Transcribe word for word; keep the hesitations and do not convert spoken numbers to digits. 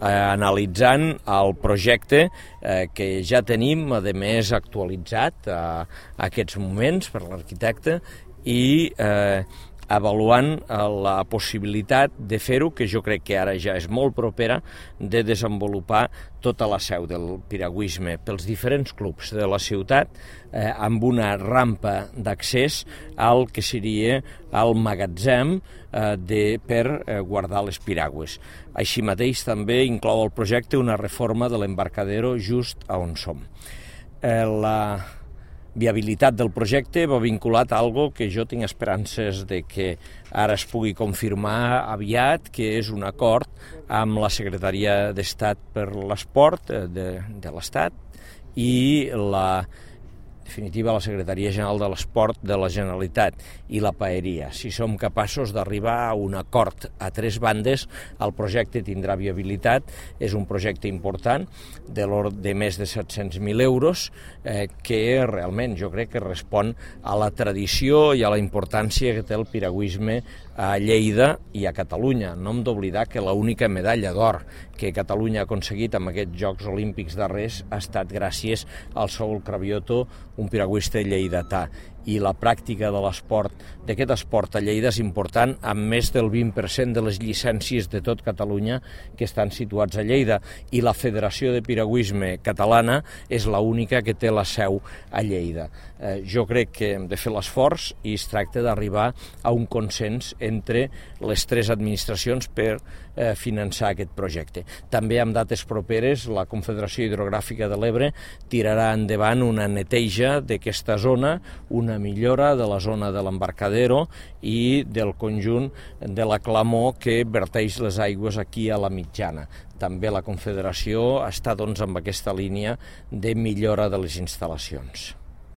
analitzant el projecte eh, que ja tenim, a més actualitzat a, a aquests moments per l'arquitecte, i eh, avaluant la possibilitat de fer-ho, que jo crec que ara ja és molt propera, de desenvolupar tota la seu del piragüisme pels diferents clubs de la ciutat, eh, amb una rampa d'accés al que seria el magatzem eh, de, per eh, guardar les piragües. Així mateix també inclou el projecte una reforma de l'embarcadero just a on som. Eh, la viabilitat del projecte va vinculat a algo que jo tinc esperances de que ara es pugui confirmar aviat, que és un acord amb la Secretaria d'Estat per l'Esport de, de l'Estat i la definitiva la Secretaria General de l'Esport de la Generalitat i la Paeria. Si som capaços d'arribar a un acord a tres bandes, el projecte tindrà viabilitat. És un projecte important de l'ordre de més de set-cents mil euros eh, que realment jo crec que respon a la tradició i a la importància que té el piragüisme a Lleida i a Catalunya. No hem d'oblidar que l'única medalla d'or que Catalunya ha aconseguit amb aquests Jocs Olímpics darrers ha estat gràcies al Saúl Cravioto, un piragüista lleidatà. I la pràctica de l'esport, d'aquest esport a Lleida és important, amb més del vint per cent de les llicències de tot Catalunya que estan situats a Lleida, i la Federació de Piragüisme Catalana és l'única que té la seu a Lleida. Eh, jo crec que hem de fer l'esforç i es tracta d'arribar a un consens entre les tres administracions per eh, finançar aquest projecte. També amb dates properes la Confederació Hidrogràfica de l'Ebre tirarà endavant una neteja d'aquesta zona, una millora de la zona de l'embarcadero i del conjunt de la clamor que verteix les aigües aquí a la mitjana. També la Confederació està doncs amb aquesta línia de millora de les instal·lacions.